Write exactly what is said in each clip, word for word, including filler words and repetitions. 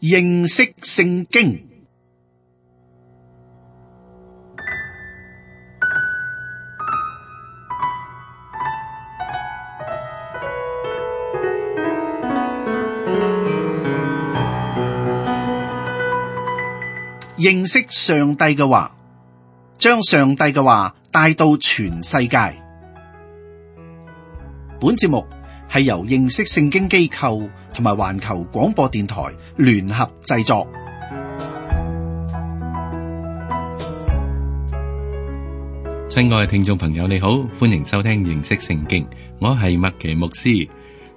認識聖經。認識上帝嘅話，將上帝嘅話帶到全世界。本節目係由認識聖經機構同埋環球廣播電台聯合製作。親愛嘅聽眾朋友，你好，歡迎收聽認識聖經。我係麥奇牧師。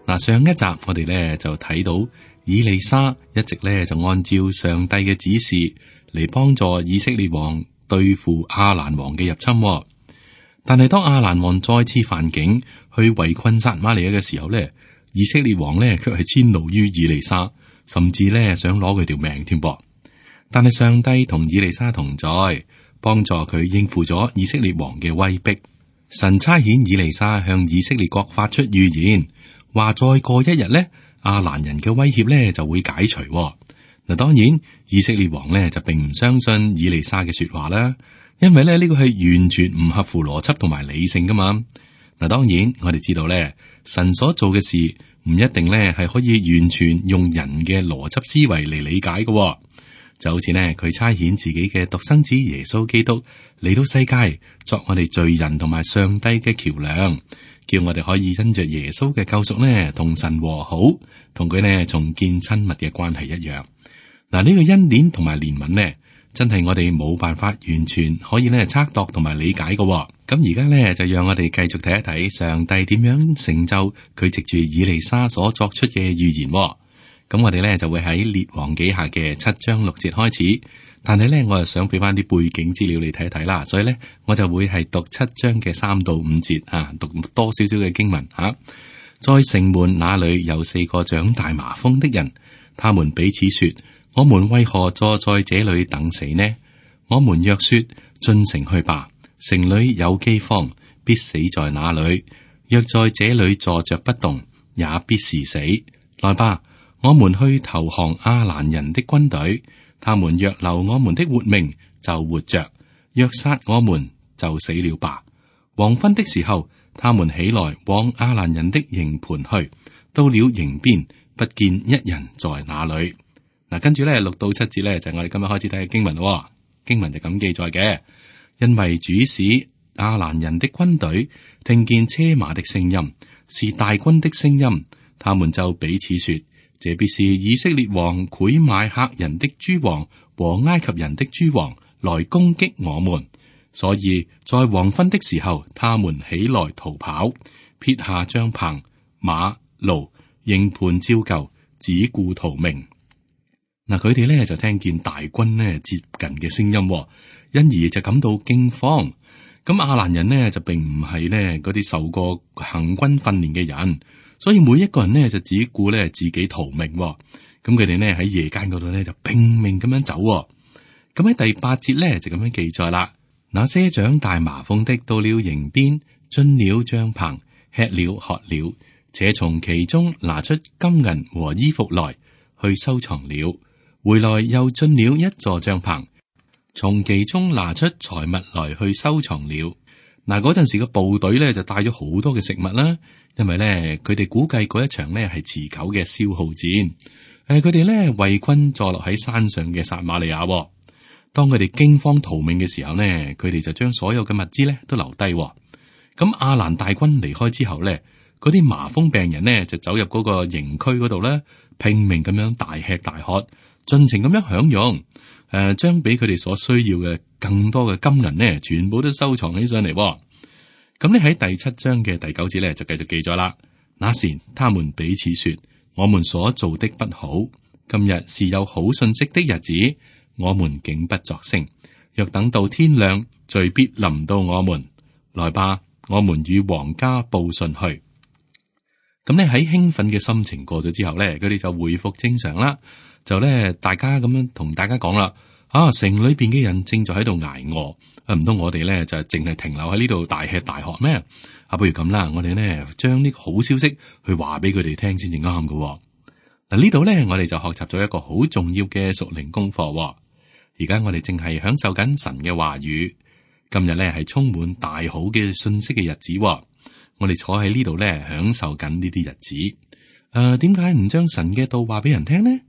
嗱，上一集我哋咧就睇到以利沙一直咧就按照上帝嘅指示嚟幫助以色列王對付亞蘭王嘅入侵。但係當亞蘭王再次犯境去圍困撒瑪利亞嘅時候咧，以色列王咧卻係遷怒於以利沙，甚至咧想攞佢條命添噃。但係上帝同以利沙同在，幫助佢應付咗以色列王嘅威逼。神差遣以利沙向以色列國發出預言，話再過一日咧，亞蘭人嘅威脅咧就會解除。嗱，當然以色列王咧就並唔相信以利沙嘅說話啦，因為咧呢個係完全唔合乎邏輯同埋理性噶嘛。嗱，當然我哋知道咧，神所做嘅事唔一定咧係可以完全用人嘅邏輯思維嚟理解嘅。就好似呢，佢差遣自己嘅獨生子耶穌基督嚟到世界，作我哋罪人同埋上帝嘅橋樑，叫我哋可以因着耶穌嘅救贖呢，同神和好，同佢呢重建親密嘅關係一樣。嗱，呢個恩典同埋憐憫呢，真係我哋冇辦法完全可以呢測度同埋理解嘅。咁而家呢，就讓我哋繼續睇一睇上帝點樣成就佢藉住以利沙所作出嘅預言。咁我哋咧就會喺列王紀下嘅七章六節開始，但係咧我又想俾翻啲背景資料你睇一睇啦，所以咧我就會係讀七章嘅三到五節啊，讀多少少嘅經文吓、啊。在城門那裏有四個長大麻風的人，他們彼此說：我們為何坐在這裏等死呢？我們若說進城去吧，城裏有饑荒，必死在那裏；若在這裏坐着不動，也必是死。來吧！我們去投降亞蘭人的軍隊，他們若留我們的活命，就活着；若殺我們，就死了吧。黃昏的時候，他們起來往亞蘭人的營盤去，到了營邊，不見一人在那裏。嗱，跟住咧六到七節咧就係我哋今日開始睇嘅經文。經文就咁記載嘅，因為主使亞蘭人的軍隊聽見車馬的聲音，是大軍的聲音，他們就彼此說：這必是以色列王賄買赫人的諸王和埃及人的諸王來攻擊我們，所以在黃昏的時候，他們起來逃跑，撇下帳篷、馬、驢、營盤照舊，只顧逃命。嗱，佢哋咧就聽見大軍咧接近嘅聲音，因而就感到驚慌。咁亞蘭人呢，就並唔係呢嗰啲受過行軍訓練嘅人。所以每一個人呢，就只顧咧自己逃命，咁佢哋呢，喺夜間嗰度呢，就拼命咁樣走。咁喺第八節呢，就咁樣記載啦。那些長大麻風的到了營邊，進了帳篷，吃了喝了，且從其中拿出金銀和衣服來去收藏了。回來又進了一座帳篷，從其中拿出財物來去收藏了。嗱，嗰陣時嘅部隊咧就帶咗好多嘅食物啦，因為咧佢哋估計嗰一場咧係持久嘅消耗戰。誒、呃，佢哋咧圍困坐落喺山上嘅撒瑪利亞。當佢哋驚慌逃命嘅時候呢，佢哋就將所有嘅物資咧都留低。咁亞蘭大軍離開之後咧，嗰啲麻風病人呢就走入嗰個營區嗰度咧，拼命咁樣大吃大喝，盡情咁樣享用。誒、呃，將俾佢哋所需要嘅更多嘅金銀呢，全部都收藏起上嚟。咁你喺第七章嘅第九節咧，就繼續記咗啦。那時，他們彼此說：我們所做的不好，今日是有好信息的日子，我們竟不作聲。若等到天亮，罪必臨到我們。來吧，我們與皇家報信去。咁咧喺興奮嘅心情過咗之後咧，佢哋就回復正常啦。就咧，大家咁樣同大家講啦，啊，城裏邊嘅人正在喺度挨餓，啊，唔通我哋咧就淨係停留喺呢度大吃大喝咩？啊，不如咁啦，我哋呢將呢個好消息去話俾佢哋聽先至啱㗎。嗱，呢度咧，我哋就學習咗一個好重要嘅屬靈功課。而家我哋正係享受緊神嘅話語。今日咧係充滿大好嘅信息嘅日子。我哋坐喺呢度咧，享受緊呢啲日子。誒、呃，點解唔將神嘅道話俾人聽呢？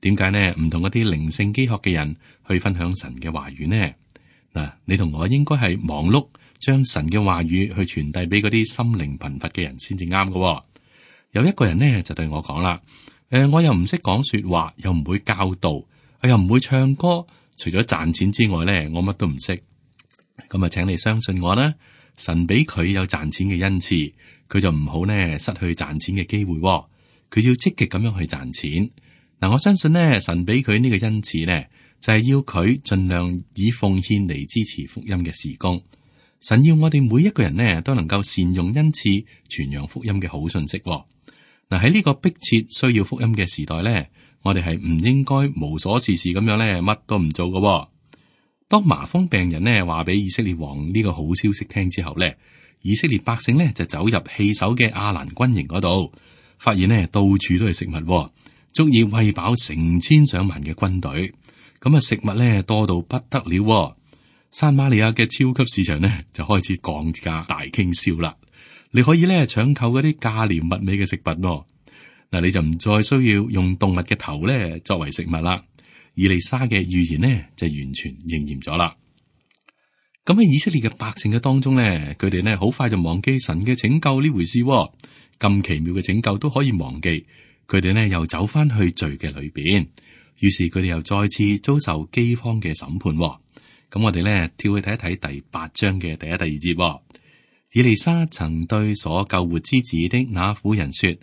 點解呢？唔同嗰啲靈性飢渴嘅人去分享神嘅話語呢？嗱，你同我應該係忙碌，將神嘅話語去傳遞俾嗰啲心靈貧乏嘅人先至啱嘅。有一個人呢，就對我講啦，誒、呃，我又唔識講說話，又唔會教導，我又唔會唱歌，除咗賺錢之外呢，我乜都唔識。咁啊，請你相信我啦，神俾佢有賺錢嘅恩賜，佢就唔好呢失去賺錢嘅機會。佢要積極咁樣去賺錢。嗱，我相信呢，神俾佢呢個恩賜呢，就係要佢盡量以奉獻嚟支持福音嘅事工。神要我哋每一個人呢，都能夠善用恩賜，傳揚福音嘅好信息。嗱，喺呢個迫切需要福音嘅時代呢，我哋係唔應該無所事事咁樣呢，乜都唔做嘅。當麻風病人呢話俾以色列王呢個好消息聽之後呢，以色列百姓呢就走入棄守嘅亞蘭軍營嗰度，發現呢到處都係食物，足以餵飽成千上萬嘅軍隊。咁啊，食物呢多到不得了。撒瑪利亞嘅超級市場呢就開始降價大傾銷啦。你可以呢搶購嗰啲價廉物美嘅食品。嗱，你就唔再需要用動物嘅頭呢作為食物啦。以利沙嘅預言呢就完全應驗咗啦。咁喺以色列嘅百姓嘅當中呢，佢哋呢好快就忘記神嘅拯救呢回事。咁奇妙嘅拯救都可以忘記，佢哋呢又走翻去罪嘅裏邊，於是佢哋又再次遭受饑荒嘅審判。咁我哋呢跳去睇一睇第八章嘅第一、第二節。以利沙曾對所救活之子的那婦人說：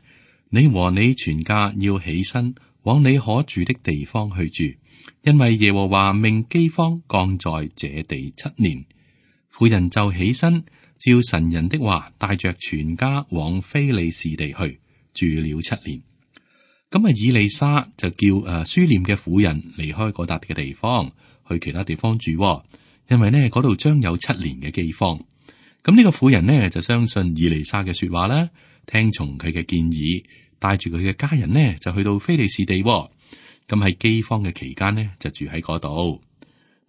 你和你全家要起身往你可住的地方去住，因為耶和華命饑荒降在這地七年。婦人就起身，照神人的話，帶着全家往非利士地去住了七年。咁啊，以利沙就叫誒書念嘅婦人離開嗰笪嘅地方，去其他地方住，因為呢嗰度將有七年嘅饑荒。咁呢個婦人呢就相信以利沙嘅說話啦，聽從佢嘅建議，帶住佢嘅家人呢就去到非利士地。咁喺饑荒嘅期間呢就住喺嗰度。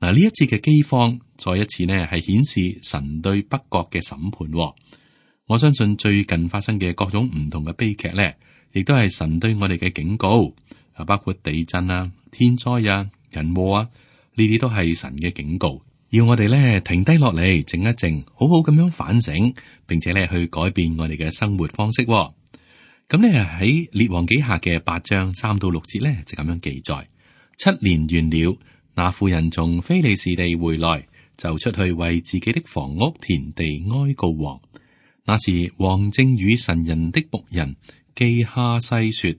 嗱，呢一次嘅饑荒，再一次呢係顯示神對北國嘅審判。我相信最近發生嘅各種唔同嘅悲劇呢，亦都係神對我哋嘅警告，啊，包括地震啊、天災啊、人禍啊，呢啲都係神嘅警告。要我哋咧停低落嚟，靜一靜，好好咁樣反省，並且咧去改變我哋嘅生活方式。咁咧喺列王紀下嘅八章三到六節咧就咁樣記載：七年完了，那婦人從非利士地回來，就出去為自己的房屋田地哀告王。那時王正與神人的僕人基哈西說：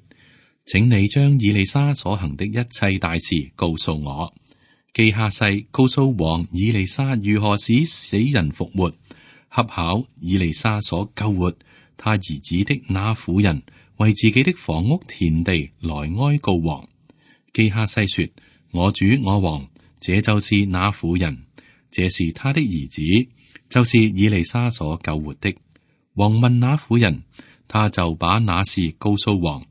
請你將以利沙所行的一切大事告訴我。基哈西告訴王以利沙如何使死人復活，恰巧以利沙所救活他兒子的那婦人為自己的房屋田地來哀告王。基哈西說：我主我王，這就是那婦人，這是他的兒子，就是以利沙所救活的。王問那婦人，他就把那事告訴王。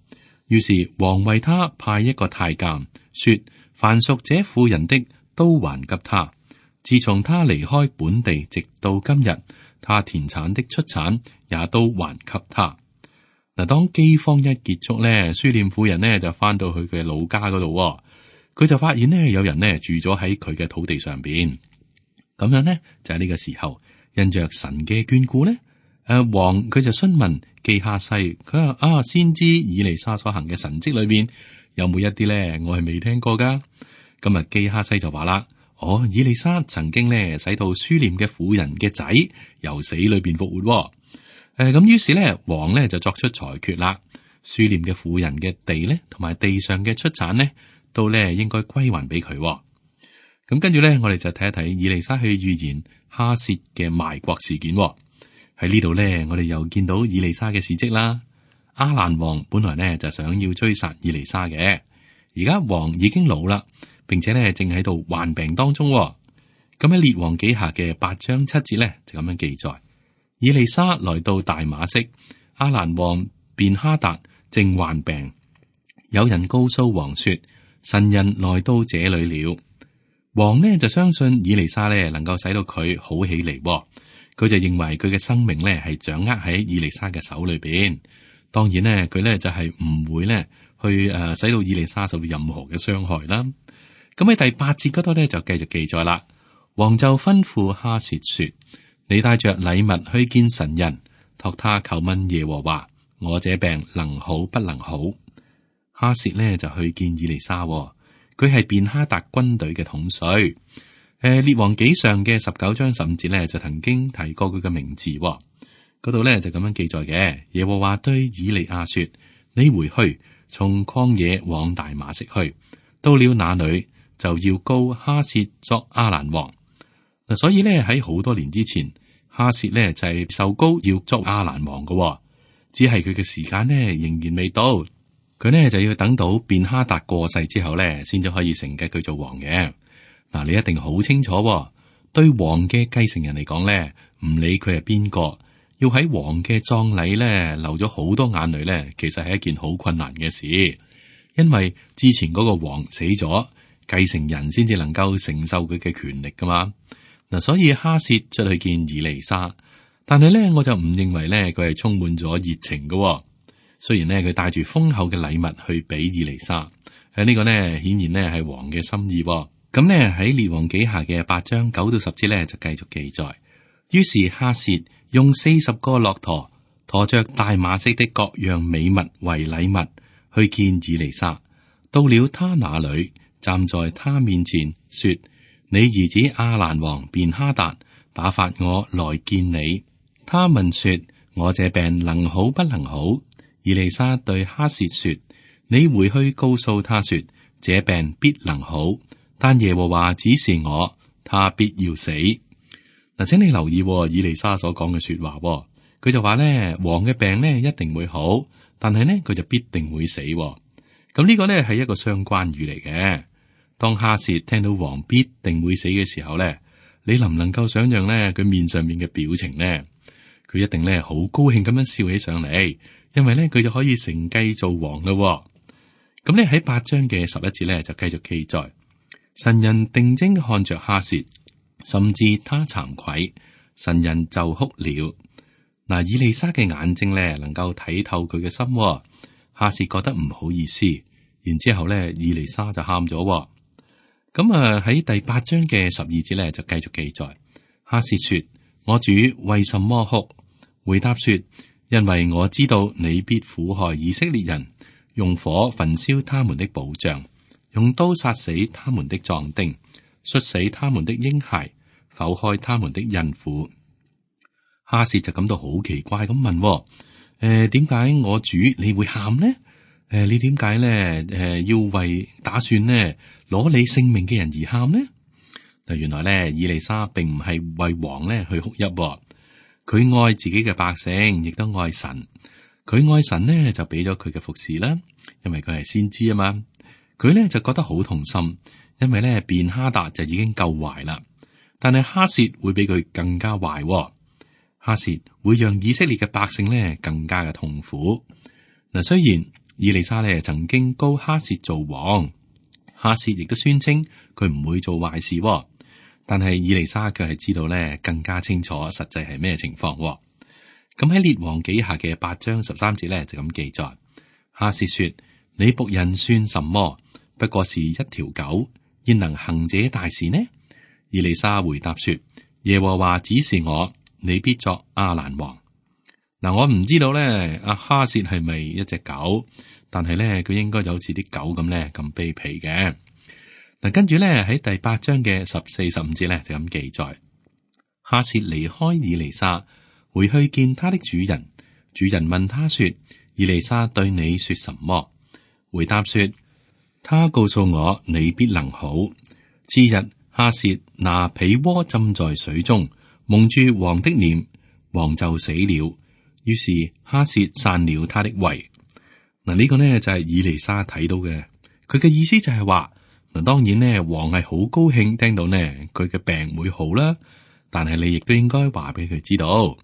於是王為他派一個太監，說：凡屬這婦人的都還給他。自從他離開本地直到今日，他田產的出產也都還給他。嗱，當饑荒一結束咧，書念婦人呢就翻到佢嘅老家嗰度，佢就發現呢有人呢住咗喺佢嘅土地上邊。咁樣呢就係呢個時候，因着神嘅眷顧呢，誒王佢就詢問基哈西，佢話啊，先知以利沙所行嘅神蹟裏邊有冇一啲咧我係未聽過噶？今日基哈西就話啦：哦，以利沙曾經咧使到書念嘅婦人嘅仔由死裏邊復活，哦。誒，咁於是咧王咧就作出裁決啦，書念嘅婦人嘅地咧同埋地上嘅出產咧都咧應該歸還俾佢。咁跟住咧，我哋就睇一睇以利沙去預言哈薛嘅賣國事件。喺呢度咧，我哋又見到以利沙嘅事蹟啦。亞蘭王本來咧就想要追殺以利沙嘅，而家王已經老啦，並且咧正喺度患病當中。咁喺列王紀下嘅八章七節咧就咁樣記載：以利沙來到大馬色，亞蘭王便哈達正患病，有人告訴王說，神人來到這裏了。王呢就相信以利沙呢能夠使到佢好起嚟，佢就認為佢嘅生命呢係掌握喺以利沙嘅手裏邊。當然呢，佢呢就係唔會呢去誒使到以利沙受到任何嘅傷害啦。咁喺第八節嗰度呢就繼續記載啦。王就吩咐哈薛說：你帶着禮物去見神人，託他求問耶和華，我這病能好不能好？哈薛呢就去見以利沙，佢係便哈達軍隊嘅統帥。誒、呃，列王紀上嘅十九章十五節呢就曾經提過佢嘅名字，嗰度呢就咁樣記載嘅。耶和華對以利亞說：你回去，從曠野往大馬色去，到了那裏就要膏哈薛作亞蘭王。嗱，所以呢，喺好多年之前，哈薛呢就係受膏要作亞蘭王嘅，只係佢嘅時間呢仍然未到。佢呢就要等到便哈達過世之後呢，先至可以承繼佢做王嘅。嗱，你一定好清楚，對王嘅繼承人嚟講呢，唔理佢係邊個，要喺王嘅葬禮呢流咗好多眼淚呢，其實係一件好困難嘅事，因為之前嗰個王死咗，繼承人先至能夠承受佢嘅權力噶嘛。嗱，所以哈薛出去見以利沙，但係咧我就唔認為咧佢係充滿咗熱情嘅。雖然咧佢帶住豐厚嘅禮物去俾以利沙，喺呢個呢顯然呢係王嘅心意。咁呢喺列王紀下嘅八章九到十節咧就繼續記載。於是哈薛用四十個駱駝馱着大馬色的各樣美物為禮物去見以利沙，到了他那裏，站在他面前說：你兒子亞蘭王便哈達打發我來見你。他問說：我這病能好不能好？以利沙對哈薛說：你回去告訴他說，這病必能好，但耶和華指示我，他必要死。嗱，請你留意以利沙所講嘅說話，佢就話咧，王嘅病咧一定會好，但係呢，佢就必定會死。咁呢個呢係一個相關語嚟嘅。當哈薛聽到王必定會死嘅時候咧，你能唔能夠想象咧佢面上面嘅表情呢？佢一定咧好高興咁樣笑起上嚟，因為咧佢就可以承繼做王咯。咁咧喺八章嘅十一節咧就繼續記載，神人定睛看着哈薛，甚至他慚愧，神人就哭了。嗱，以利沙嘅眼睛咧能夠睇透佢嘅心，哈薛覺得唔好意思，然之後咧以利沙就喊咗。咁啊喺第八章嘅十二節咧就繼續記載，哈薛說：我主為什麼哭？回答說：因為我知道你必苦害以色列人，用火焚燒他們的保障，用刀殺死他們的壯丁，摔死他們的嬰孩，剖開他們的孕婦。哈薛就感到好奇怪咁問：誒、呃，點解我主你會喊呢？誒、呃，你點解咧？誒、呃，要為打算呢攞你性命嘅人而喊呢？嗱，原來咧，以利沙並唔係為王咧去哭泣，佢愛自己嘅百姓，亦都愛神。佢愛神呢，就俾咗佢嘅服侍啦，因為佢係先知啊嘛。佢咧就覺得好痛心，因為咧便哈達就已經夠壞啦，但係哈薛會比佢更加壞。哈薛會讓以色列嘅百姓咧更加嘅痛苦。嗱，雖然以利沙咧曾經膏哈薛做王，哈薛亦都宣稱佢唔會做壞事，但係以利沙卻係知道咧更加清楚實際係咩情況。咁喺列王紀下嘅八章十三節咧就咁記載，哈薛說：你僕人算什麼？不過是一條狗，焉能行這大事呢？以利沙回答說：耶和華指示我，你必作亞蘭王。嗱，我唔知道咧，阿哈薛係咪一隻狗？但係咧，佢應該就好似啲狗咁咧，咁卑鄙嘅。嗱，跟住咧喺第八章嘅十四、十五節咧就咁記載，哈薛離開以利沙，回去見他的主人。主人問他說：以利沙對你說什麼？回答說：他告訴我你必能好。次日，哈薛拿被窩浸在水中，蒙住王的臉，王就死了。於是哈薛散了他的胃。嗱，呢個呢就係以利沙睇到嘅，佢嘅意思就係話，嗱，當然呢，王係好高興聽到呢佢嘅病會好啦，但係你亦都應該話俾佢知道，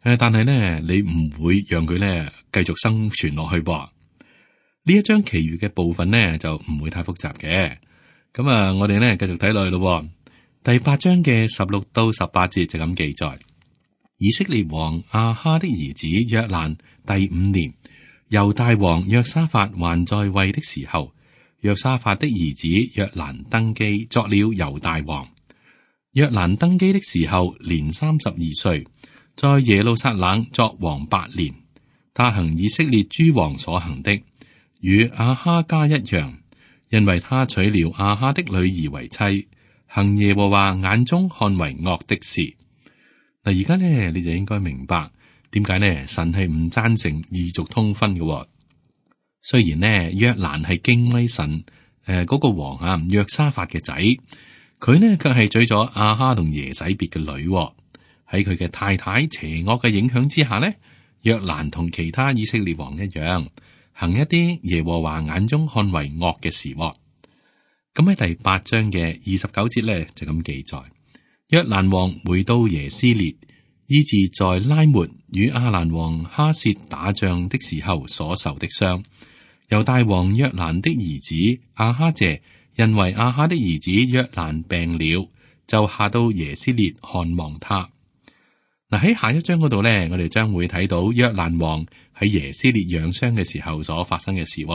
誒，但係呢，你唔會讓佢呢繼續生存落去噃。呢一章其餘嘅部分呢，就唔會太複雜嘅。咁啊，我哋呢繼續睇落去咯。第八章嘅十六到十八節就咁記載：以色列王亞哈的兒子約蘭第五年，猶大王約沙法還在位的時候，約沙法的兒子約蘭登基作了猶大王。約蘭登基的時候年三十二歲，在耶路撒冷作王八年。他行以色列諸王所行的，與亞哈家一樣，因為他娶了亞哈的女兒為妻，行耶和華眼中看為惡的事。嗱，而家呢，你就應該明白點解呢？神係唔贊成異族通婚嘅。雖然呢，約蘭係敬畏神，誒、呃、嗰、那個王啊約沙法嘅仔，佢呢卻係娶咗亞哈同耶洗別嘅女。喺佢嘅太太邪惡嘅影響之下呢，約蘭同其他以色列王一樣，行一啲耶和華眼中看為惡嘅事。咁喺第八章嘅二十九節咧就咁記載：約蘭王回到耶斯列，醫治在拉末與亞蘭王哈薛打仗的時候所受的傷。猶大王約蘭的兒子亞哈謝，因為亞哈的兒子約蘭病了，就下到耶斯列看望他。嗱，喺下一章嗰度咧，我哋將會睇到約蘭王喺耶斯列養傷嘅時候所發生嘅事。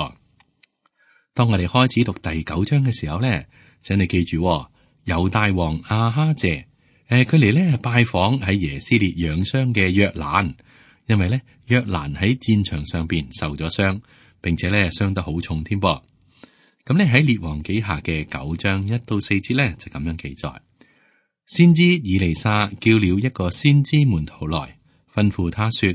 當我哋開始讀第九章嘅時候咧，請你記住，猶大王亞哈謝，誒，佢嚟咧拜訪喺耶斯列養傷嘅約蘭，因為咧約蘭喺戰場上邊受咗傷，並且咧傷得好重添噃。咁咧喺列王紀下嘅九章一到四節咧就咁樣記載。先知以利沙叫了一個先知門徒來，吩咐他說：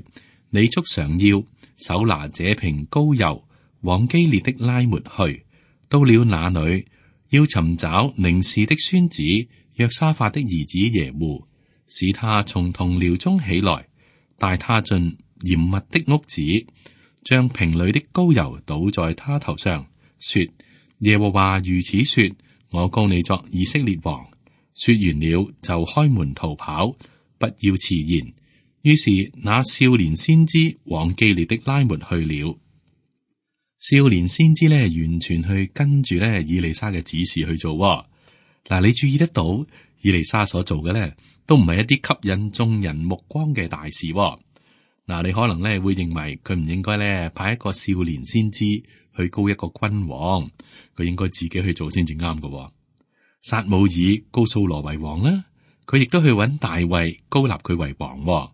你束上腰，手拿這瓶膏油，往基列的拉末去。到了那裏，要尋找寧示的孫子約沙法的兒子耶戶，使他從同僚中起來，帶他進嚴密的屋子，將瓶裏的膏油倒在他頭上，說：耶和華如此說，我膏你作以色列王。說完了就開門逃跑，不要遲延。於是那少年先知往基列的拉末去了。少年先知呢，完全去跟住呢以利沙嘅指示去做。嗱，你注意得到以利沙所做嘅呢，都唔係一啲吸引眾人目光嘅大事。嗱，你可能呢會認為佢唔應該呢派一個少年先知去膏一個君王，佢應該自己去做先至啱嘅。撒母耳膏掃羅為王啦，佢亦都去揾大衛膏立佢為王。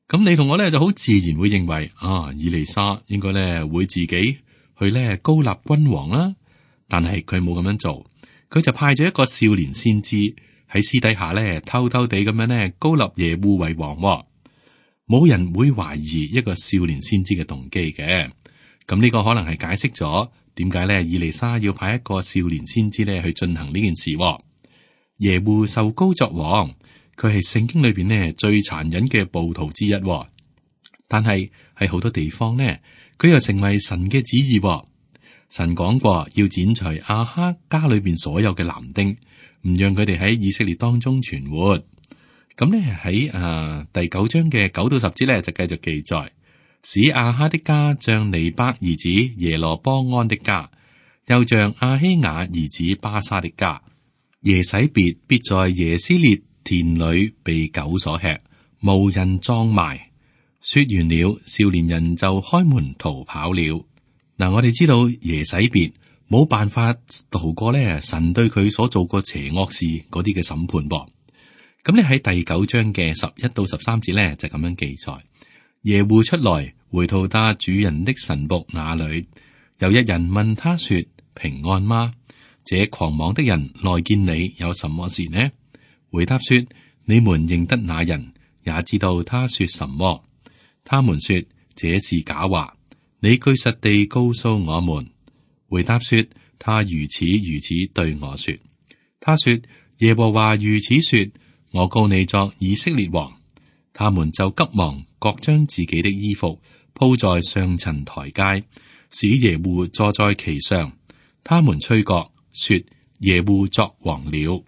咁你同我咧就好自然會認為啊，以利沙應該咧會自己去咧膏立君王啦。但係佢冇咁樣做，佢就派咗一個少年先知喺私底下咧偷偷地咁樣咧膏立耶戶為王。冇人會懷疑一個少年先知嘅動機嘅。咁呢個可能係解釋咗點解咧，以利沙要派一個少年先知咧去進行呢件事。耶戶受膏作王，佢係聖經裏邊呢最殘忍嘅暴徒之一。但係喺好多地方呢，佢又成為神嘅旨意。神講過要剪除亞哈家裏邊所有嘅男丁，唔讓佢哋喺以色列當中存活。咁呢喺誒第九章嘅九到十節咧就繼續記載。使亞哈的家像尼伯兒子耶羅波安的家，又像亞希雅兒子巴沙的家。耶洗別必在耶斯列田裏被狗所吃，無人葬埋。說完了，少年人就開門逃跑了。嗱、嗯，我哋知道耶洗別冇辦法逃過咧神對佢所做過邪惡事嗰啲嘅審判噃。咁你喺第九章嘅十一到十三節咧就咁樣記載。耶戶出來，回到他主人的臣僕那裏。有一人問他說：平安嗎？這狂妄的人來見你有什麼事呢？回答說：你們認得那人，也知道他說什麼。他們說這是假話。你據實地告訴我們。回答說：他如此如此對我說。他說：耶和華如此說，我膏你作以色列王。他們就急忙各將自己的衣服鋪在上層台階，使耶戶坐在其上。他們吹角說：耶戶作王了。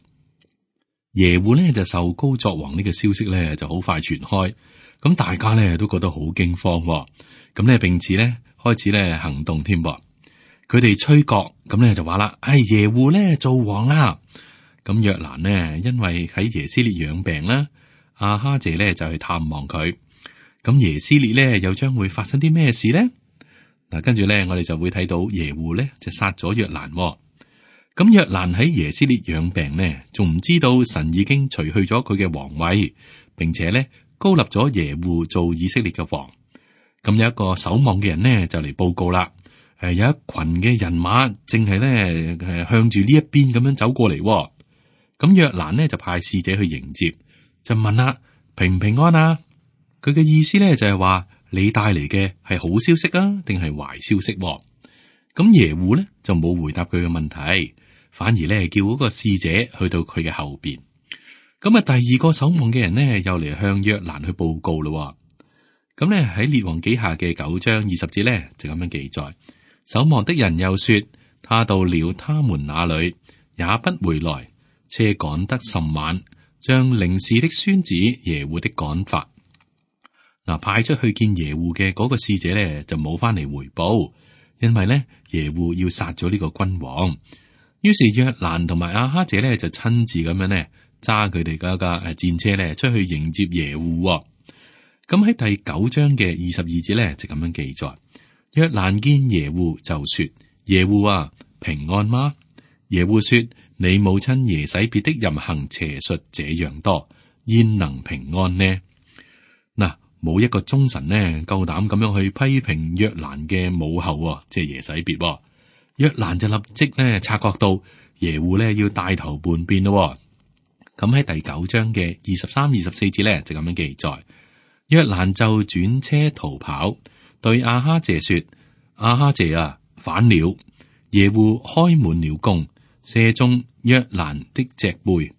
耶戶呢就受膏作王呢個消息呢就好快傳開，咁大家呢都覺得好驚慌，咁呢並且呢開始呢行動添。佢哋吹角，咁咧就話啦，唉、哎，耶戶咧做王啦。咁約蘭呢，因為喺耶斯列養病啦，亞哈謝咧就去探望佢。咁耶斯列咧又將會發生啲咩事咧？嗱，跟住咧我哋就會睇到耶戶咧就殺咗約蘭。咁約蘭喺耶斯列養病呢，仲唔知道神已經除去咗佢嘅皇位，並且咧高立咗耶戶做以色列嘅王。咁有一個守望嘅人呢，就嚟報告啦。誒，有一群嘅人馬正係咧誒向住呢一邊咁樣走過嚟。咁約蘭呢就派使者去迎接，就問啦，平唔平安啊？佢嘅意思咧就係話，你帶嚟嘅係好消息啊，定係壞消息？咁耶戶咧就冇回答佢嘅問題，反而咧叫嗰個使者去到佢嘅後邊。咁啊，第二個守望嘅人呢，又嚟向約蘭去報告咯。咁咧喺列王紀下嘅九章二十節咧就咁樣記載。守望的人又說，他到了他們那裏，也不回來，車趕得甚晚，將寧示的孫子耶戶的趕發。嗱，派出去見耶戶嘅嗰個使者咧，就冇翻嚟回報，因為咧耶戶要殺咗呢個君王。於是約蘭同埋亞哈謝咧就親自咁樣咧揸佢哋嗰架誒戰車咧出去迎接耶戶。咁喺第九章嘅二十二節咧就咁樣記載。約蘭見耶戶就說：耶戶啊，平安嗎？耶戶說：你母親耶洗別的淫行邪術這樣多，焉能平安呢？嗱，冇一個忠臣呢夠膽咁樣去批評約蘭嘅母后，即係耶洗別。約蘭就立即呢察覺到耶戶呢要帶頭叛變咯。咁喺第九章嘅二十三、二十四節咧就咁樣記載。約蘭就轉車逃跑。對亞哈謝說：亞哈謝啊，反了！耶戶開滿了弓，射中約蘭的脊背，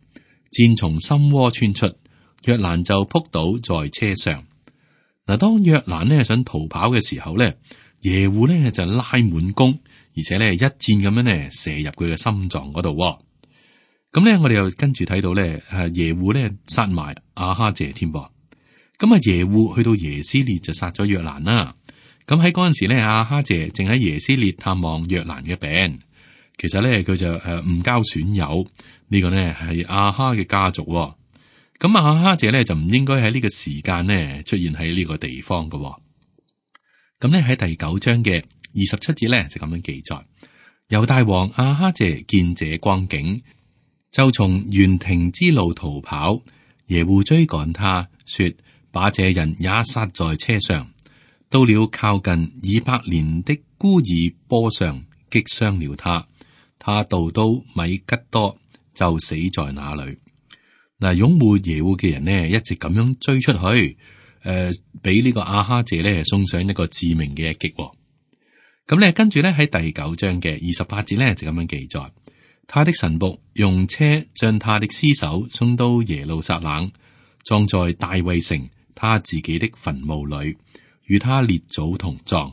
箭從心窩穿出，約蘭就撲倒在車上。嗱，當約蘭呢想逃跑嘅時候咧，耶戶呢就拉滿弓，而且咧一箭咁樣咧射入佢嘅心臟嗰度。咁咧，我哋又跟住睇到咧，誒耶戶咧殺埋亞哈謝添噃。咁啊，耶戶去到耶斯列就殺咗約蘭啦。咁喺嗰陣時咧，亞哈謝正喺耶斯列探望約蘭嘅病。其實咧，佢就誒誤交損友，呢個呢係亞哈嘅家族。咁亞哈謝咧就唔應該喺呢個時間呢出現喺呢個地方嘅。咁咧喺第九章嘅二十七節咧就咁樣記載：猶大王亞哈謝見這光景，就從園亭之路逃跑。耶戶追趕他，說：把這人也殺在車上。到了靠近以伯蓮的孤爾坡上，擊傷了他。他渡到米吉多，就死在那裏。嗱，擁護耶戶嘅人呢，一直咁樣追出去，誒、呃，俾呢個亞哈謝咧送上一個致命嘅一擊。咁咧，跟住咧喺第九章嘅二十八節咧就咁樣記載：他的臣僕用車將他的屍首送到耶路撒冷，葬在大衛城他自己的墳墓裏。與他列祖同葬。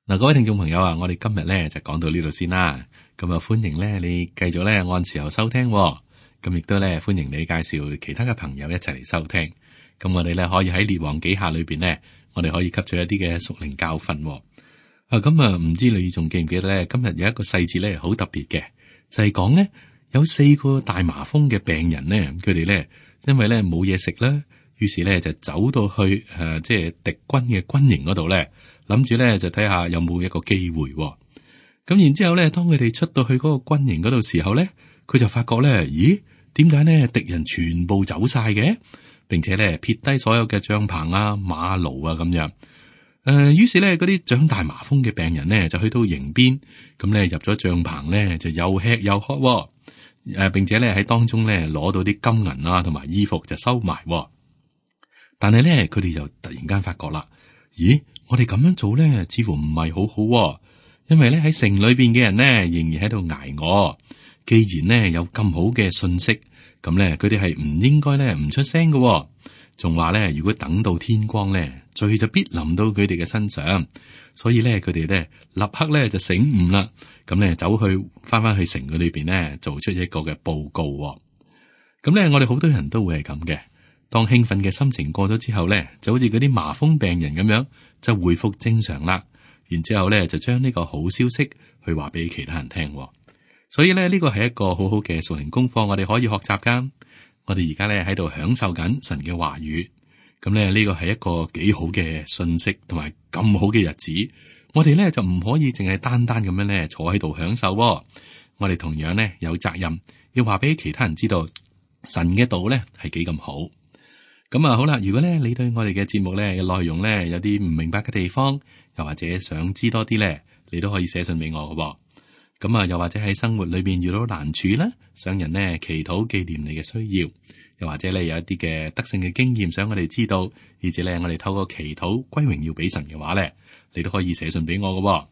嗱，各位聽眾朋友啊，我哋今日咧就講到呢度先啦。咁啊，歡迎咧你繼續咧按時候收聽，咁亦都咧歡迎你介紹其他嘅朋友一齊嚟收聽。咁我哋咧可以喺列王紀下裏邊咧，我哋可以吸取一啲嘅屬靈教訓。啊，咁啊，唔知你仲記唔記得咧？今日有一個細節咧好特別嘅，就係講咧有四個大麻風嘅病人咧，佢哋咧因為咧冇嘢食啦。於是咧就走到去誒、呃，即係敵軍嘅軍營嗰度咧，諗住咧就睇下有冇一個機會、哦。咁然之後咧，當佢哋出到去嗰個軍營嗰度時候咧，佢就發覺咧，咦？點解咧敵人全部走晒嘅，並且咧撇低所有嘅帳篷啊、馬驢啊咁樣。誒、呃，於是咧嗰啲長大麻風嘅病人咧就去到營邊，咁咧入咗帳篷咧就又吃又喝、哦。誒、呃，並且咧喺當中咧攞到啲金銀啊同埋衣服就收埋、哦。但係咧，佢哋就突然間發覺啦，咦？我哋咁樣做咧，似乎唔係好好、哦，因為咧喺城裏邊嘅人咧，仍然喺度挨餓。既然咧有咁好嘅信息，咁咧佢哋係唔應該咧唔出聲嘅、哦。仲話咧，如果等到天光咧，罪就必臨到佢哋嘅身上。所以咧，佢哋咧立刻咧就醒悟啦，咁咧走去翻翻去城嗰裏邊咧，做出一個嘅報告、哦。咁咧，我哋好多人都會係咁嘅。當興奮嘅心情過咗之後咧，就好似嗰啲麻風病人咁樣，就回復正常啦。然之後咧就將呢個好消息去話俾其他人聽。所以咧呢個係一個好好嘅屬靈功課，我哋可以學習噶。我哋而家咧喺度享受緊神嘅話語，咁咧呢個係一個幾好嘅信息，同埋咁好嘅日子。我哋咧就唔可以淨係單單咁樣咧坐喺度享受。我哋同樣咧有責任要話俾其他人知道神嘅道咧係幾咁好。咁啊好啦，如果咧你對我哋嘅節目咧嘅內容咧有啲唔明白嘅地方，又或者想知多啲咧，你都可以寫信俾我噶。咁啊，又或者喺生活裏邊遇到難處啦，想人呢祈禱紀念你嘅需要，又或者你有一啲嘅得勝嘅經驗，想我哋知道，而且咧我哋透過祈禱歸榮耀俾神嘅話咧，你都可以寫信俾我噶。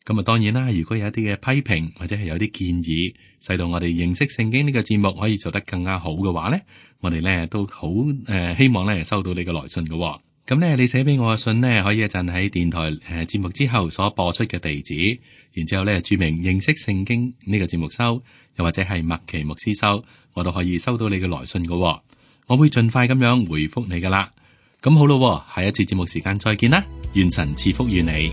咁啊，當然啦，如果有一啲嘅批評或者係有啲建議，使到我哋認識聖經呢個節目可以做得更加好嘅話咧，我哋咧都好誒、呃，希望咧收到你嘅來信噶。咁咧，你寫俾我嘅信呢，可以一陣喺電台誒節目之後所播出嘅地址，然之後咧注明認識聖經呢個節目收，又或者係麥奇牧師收，我都可以收到你嘅來信噶。我會盡快咁樣回覆你噶啦。咁好咯，下一次節目時間再見啦，願神賜福於你。